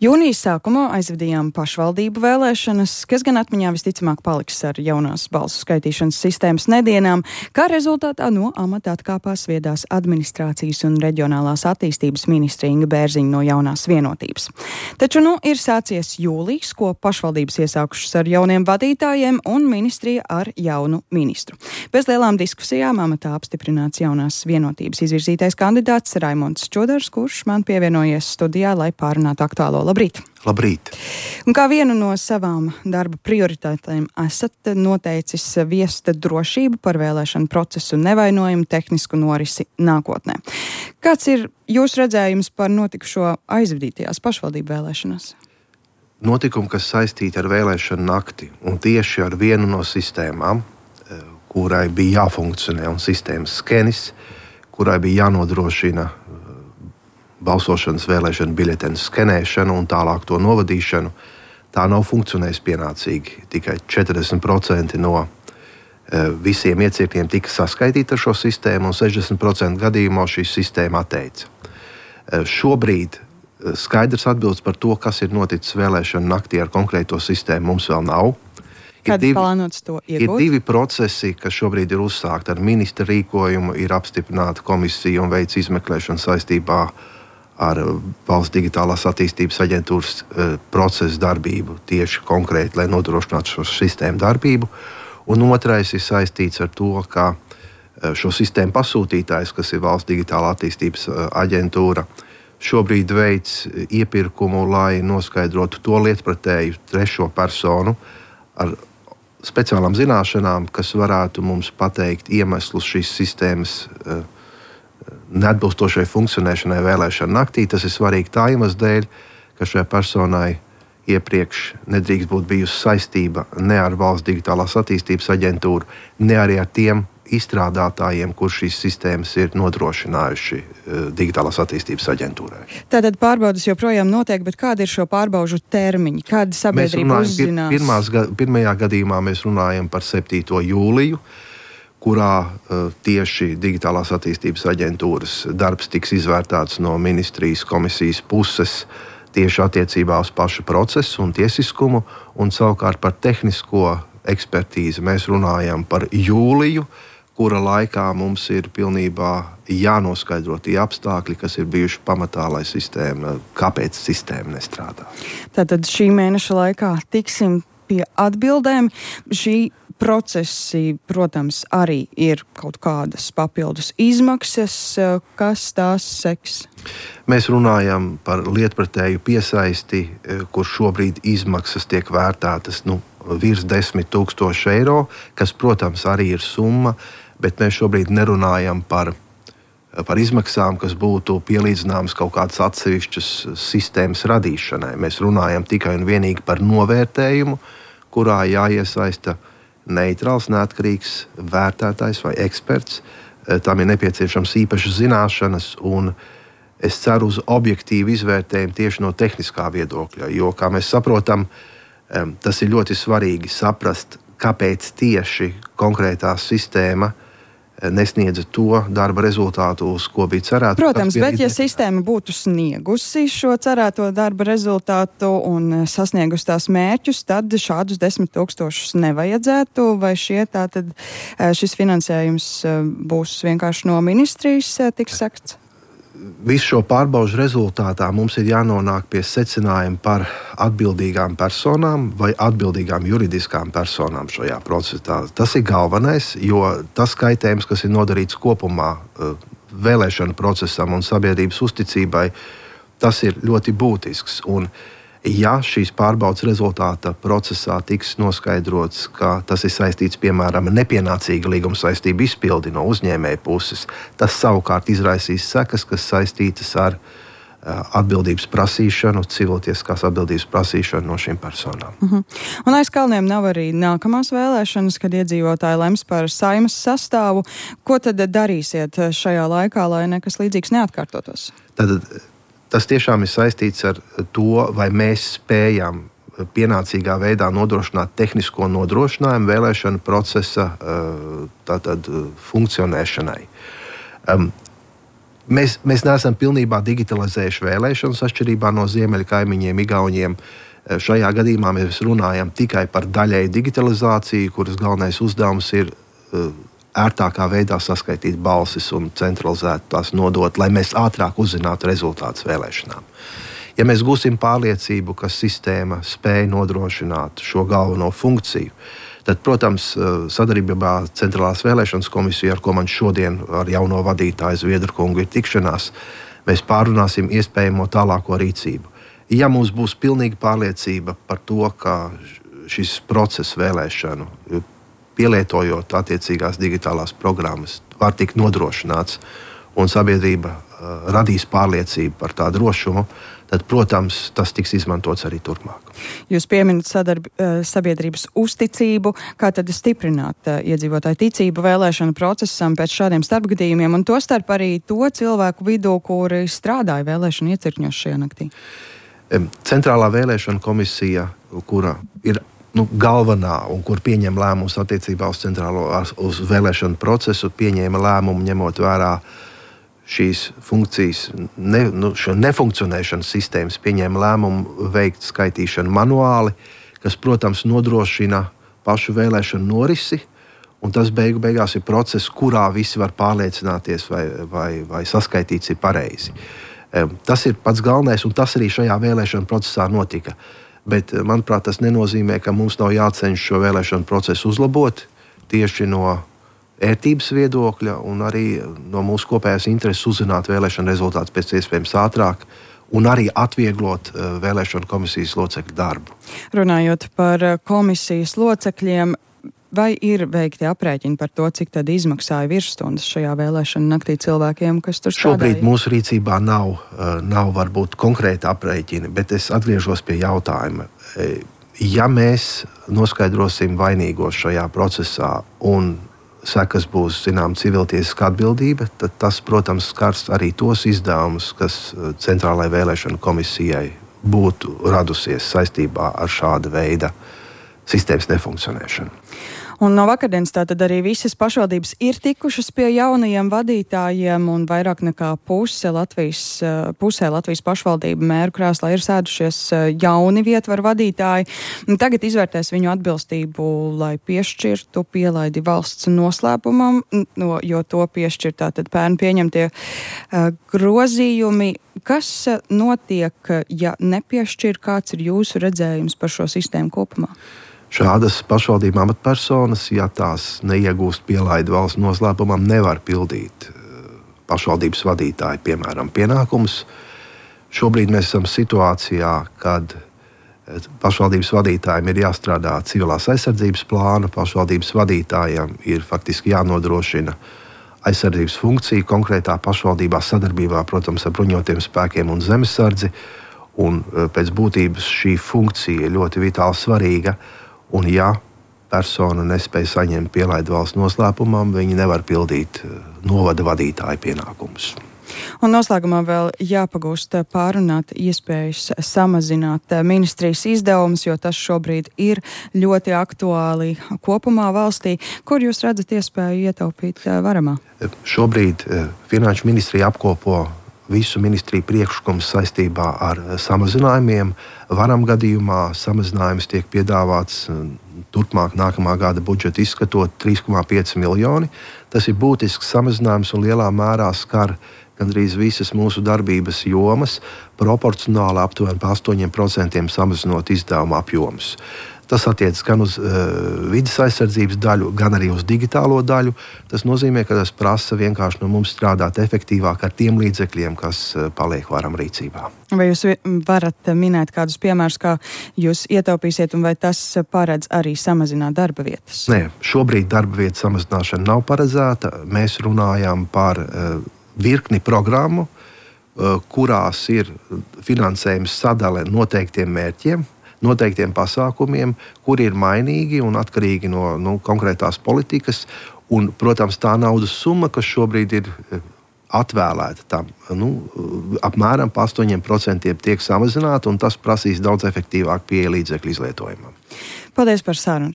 Jūnijas sākumā aizvadījām pašvaldību vēlēšanas, kas gan atmiņā visticamāk paliks ar jaunās balsu skaitīšanas sistēmas nedienām, kā rezultātā no amata atkāpās viedās administrācijas un reģionālās attīstības ministre Inga Bērziņa no jaunās Vienotības. Taču ir sācies jūlijs, ko pašvaldības iesākušas ar jauniem vadītājiem un ministrija ar jaunu ministru. Bez lielām diskusijām amatā apstiprināts jaunās Vienotības izvirzītais kandidāts Raimonds Čodars, kurš man pievienojies studijā, lai pārunātu aktuālo. Labrīt! Labrīt! Un kā vienu no savām darba prioritātēm esat noteicis viest drošību par vēlēšanu procesu nevainojumu tehnisku norisi nākotnē. Kāds ir jūsu redzējums par notikušo aizvadītajās pašvaldību vēlēšanās? Notikumi, kas saistīti ar vēlēšanu nakti un tieši ar vienu no sistēmām, kurai bija jāfunkcionē un sistēmas skenis, kurai bija jānodrošina balsošanas vēlēšanu biļetenu skenēšanu un tālāk to novadīšanu, tā nav funkcionējusi pienācīgi. Tikai 40% no visiem iecirkņiem tika saskaitīti ar šo sistēmu, un 60% gadījumā šī sistēma atteica. Šobrīd skaidrs atbildes par to, kas ir noticis vēlēšanu naktī ar konkrēto sistēmu, mums vēl nav. Kad plānots to iegūt? Ir divi procesi, kas šobrīd ir uzsākti ar ministra rīkojumu, ir apstiprināta komisija un veids izmeklēšanu saistībā ar Valsts digitālās attīstības aģentūras procesu darbību tieši konkrēti, lai nodrošinātu šo sistēmu darbību. Un otrais ir saistīts ar to, ka šo sistēmu pasūtītājs, kas ir Valsts digitālā attīstības aģentūra, šobrīd veids iepirkumu, lai noskaidrotu to lietpratēju trešo personu ar speciālām zināšanām, kas varētu mums pateikt iemeslus šīs sistēmas neatbilstošai funkcionēšanai vēlēšanu naktī. Tas ir svarīgi tā iemesla dēļ, ka šai personai iepriekš nedrīkst būt bijusi saistība ne ar Valsts digitālās attīstības aģentūru, ne arī ar tiem izstrādātājiem, kur šīs sistēmas ir nodrošinājuši digitālās attīstības aģentūrai. Tātad pārbaudas joprojām notiek, bet kādi ir šo pārbaužu termiņi? Kāda sabiedrība uzzinās? Pirmajā gadījumā mēs runājam par 7. jūliju, kurā tieši digitālās attīstības aģentūras darbs tiks izvērtēts no ministrijas komisijas puses tieši attiecībā uz pašu procesu un tiesiskumu, un savukārt par tehnisko ekspertīzi mēs runājam par jūliju, kura laikā mums ir pilnībā jānoskaidro tie apstākļi, kas ir bijuši pamatā, lai kāpēc sistēma nestrādā. Tātad šī mēneša laikā tiksim pie atbildēm. Šī procesi, protams, arī ir kaut kādas papildus izmaksas, kas tās seks. Mēs runājam par lietpratēju piesaisti, kur šobrīd izmaksas tiek vērtētas virs 10 000 eiro, kas, protams, arī ir summa, bet mēs šobrīd nerunājam par izmaksām, kas būtu pielīdzināmas kaut kādas atsevišķas sistēmas radīšanai. Mēs runājam tikai un vienīgi par novērtējumu, kurā jāiesaista neitrāls, neatkarīgs vērtētājs vai eksperts. Tam ir nepieciešams īpašas zināšanas, un es ceru uz objektīvu izvērtējumu tieši no tehniskā viedokļa, jo, kā mēs saprotam, tas ir ļoti svarīgi saprast, kāpēc tieši konkrētā sistēma nesniedza to darba rezultātu, uz ko bija cerēts. Protams, bet ja sistēma būtu sniegusi šo cerēto darba rezultātu un sasniegusi tās mērķus, tad šādus 10 000 nevajadzētu, vai šis finansējums būs vienkārši no ministrijas tiks sekts? Visu šo pārbaužu rezultātā mums ir jānonāk pie secinājuma par atbildīgām personām vai atbildīgām juridiskām personām šajā procesā. Tas ir galvenais, jo tas kaitējums, kas ir nodarīts kopumā vēlēšanu procesam un sabiedrības uzticībai, tas ir ļoti būtisks. Un ja šīs pārbaudas rezultāta procesā tiks noskaidrots, ka tas ir saistīts, piemēram, ar nepienācīgu līguma saistību izpildi no uzņēmēja puses, tas savukārt izraisīs sekas, kas saistītas ar atbildības prasīšanu, civiltieskās atbildības prasīšanu no šīm personām. Un aiz kalniem nav arī nākamās vēlēšanas, kad iedzīvotāji lems par Saeimas sastāvu. Ko tad darīsiet šajā laikā, lai nekas līdzīgs neatkārtotos? Tas tiešām ir saistīts ar to, vai mēs spējam pienācīgā veidā nodrošināt tehnisko nodrošinājumu vēlēšanu procesa funkcionēšanai. Mēs neesam pilnībā digitalizējuši vēlēšanas, atšķirībā no ziemeļu kaimiņiem, Igauniem. Šajā gadījumā mēs runājam tikai par daļēju digitalizāciju, kuras galvenais uzdevums ir ērtākā veidā saskaitīt balsis un centralizēt tās nodot, lai mēs ātrāk uzzinātu rezultātus vēlēšanām. Ja mēs gūsim pārliecību, ka sistēma spēj nodrošināt šo galveno funkciju, tad, protams, sadarbībā ar Centrālās vēlēšanas komisiju, ar ko man šodien ar jauno vadītāju Zviedru kungu ir tikšanās, mēs pārunāsim iespējamo tālāko rīcību. Ja mums būs pilnīga pārliecība par to, ka šis process vēlēšanu, pielietojot attiecīgās digitālās programmas, var tikt nodrošināts un sabiedrība radīs pārliecību par tā drošumu, tad, protams, tas tiks izmantots arī turpmāk. Jūs pieminat sabiedrības uzticību, kā tad stiprināt iedzīvotāju ticību vēlēšanu procesam pēc šādiem starpgadījumiem, un tostarp arī to cilvēku vidū, kuri strādāja vēlēšanu iecirkņos šajā naktī? Centrālā vēlēšana komisija, kura ir galvenā un kur pieņem lēmumus attiecībā uz vēlēšanu procesu, pieņēma lēmumu ņemot vērā šīs funkcijas, šo nefunkcionēšanas sistēmas, pieņēma lēmumu veikt skaitīšanu manuāli, kas, protams, nodrošina pašu vēlēšanu norisi, un tas beigās ir process, kurā visi var pārliecināties, vai saskaitīts ir pareizi. Tas ir pats galvenais, un tas arī šajā vēlēšanu procesā notika. Bet, manuprāt, tas nenozīmē, ka mums nav jācenš šo vēlēšanu procesu uzlabot tieši no ērtības viedokļa un arī no mūsu kopējās intereses uzzināt vēlēšanu rezultātus pēc iespējams ātrāk un arī atvieglot vēlēšanu komisijas locekļu darbu. Runājot par komisijas locekļiem, vai ir veikti aprēķini par to, cik tad izmaksāja virsstundas šajā vēlēšanu naktī cilvēkiem, kas tur strādāja? Šobrīd mūsu rīcībā nav varbūt konkrēti aprēķini, bet es atgriežos pie jautājuma. Ja mēs noskaidrosim vainīgos šajā procesā un sekas būs, civiltiesiska atbildība, tad tas, protams, skars arī tos izdevumus, kas Centrālajai vēlēšanu komisijai būtu radusies saistībā ar šāda veida sistēmas nefunkcionēšanu. Un no vakardienas tātad arī visas pašvaldības ir tikušas pie jaunajiem vadītājiem, un vairāk nekā pusē Latvijas pašvaldību mēru krēslā ir sēdušies jauni vietvaru vadītāji. Tagad izvērtēs viņu atbilstību, lai piešķirtu pielaidi valsts noslēpumam, jo to piešķir tātad pērn pieņemtie grozījumi. Kas notiek, ja nepiešķir? Kāds ir jūsu redzējums par šo sistēmu kopumā? Šādas pašvaldību amatpersonas, ja tās neiegūst pielaidi valsts noslēpumam, nevar pildīt pašvaldības vadītāji, piemēram, pienākumus. Šobrīd mēs esam situācijā, kad pašvaldības vadītājiem ir jāstrādā civilās aizsardzības plāna, pašvaldības vadītājiem ir faktiski jānodrošina aizsardzības funkcija konkrētā pašvaldībā sadarbībā, protams, ar bruņotiem spēkiem un zemesardzi, un pēc būtības šī funkcija ir ļoti vitāli svarīga. Un ja persona nespēja saņemt pielaidi valsts noslēpumam, viņi nevar pildīt novada vadītāja pienākumus. Un noslēgumā vēl jāpagūst pārunāt iespējas samazināt ministrijas izdevumus, jo tas šobrīd ir ļoti aktuāli kopumā valstī. Kur jūs redzat iespēju ietaupīt varamā? Šobrīd Finanšu ministrija apkopo visu ministriju priekšlikumus saistībā ar samazinājumiem. Varam gadījumā samazinājums tiek piedāvāts turpmāk nākamā gada budžeta izskatot 3,5 miljoni. Tas ir būtisks samazinājums un lielā mērā skar gandrīz visas mūsu darbības jomas, proporcionāli aptuveni par 8% samazinot izdevumu apjomus. Tas attiecas gan uz vides aizsardzības daļu, gan arī uz digitālo daļu. Tas nozīmē, ka tas prasa vienkārši no mums strādāt efektīvāk ar tiem līdzekļiem, kas paliek varam rīcībā. Vai jūs varat minēt kādus piemērus, kā jūs ietaupīsiet, un vai tas paredz arī samazināt darba vietas? Nē, šobrīd darba vietas samazināšana nav paredzēta. Mēs runājam par virkni programmu, kurās ir finansējums sadale noteiktiem mērķiem, noteiktiem pasākumiem, kuri ir mainīgi un atkarīgi no konkrētās politikas. Un, protams, tā naudas summa, kas šobrīd ir atvēlēta tam, apmēram par 8% tiek samazināta, un tas prasīs daudz efektīvāk pieeja līdzekļu izlietojumam. Paldies par sarunu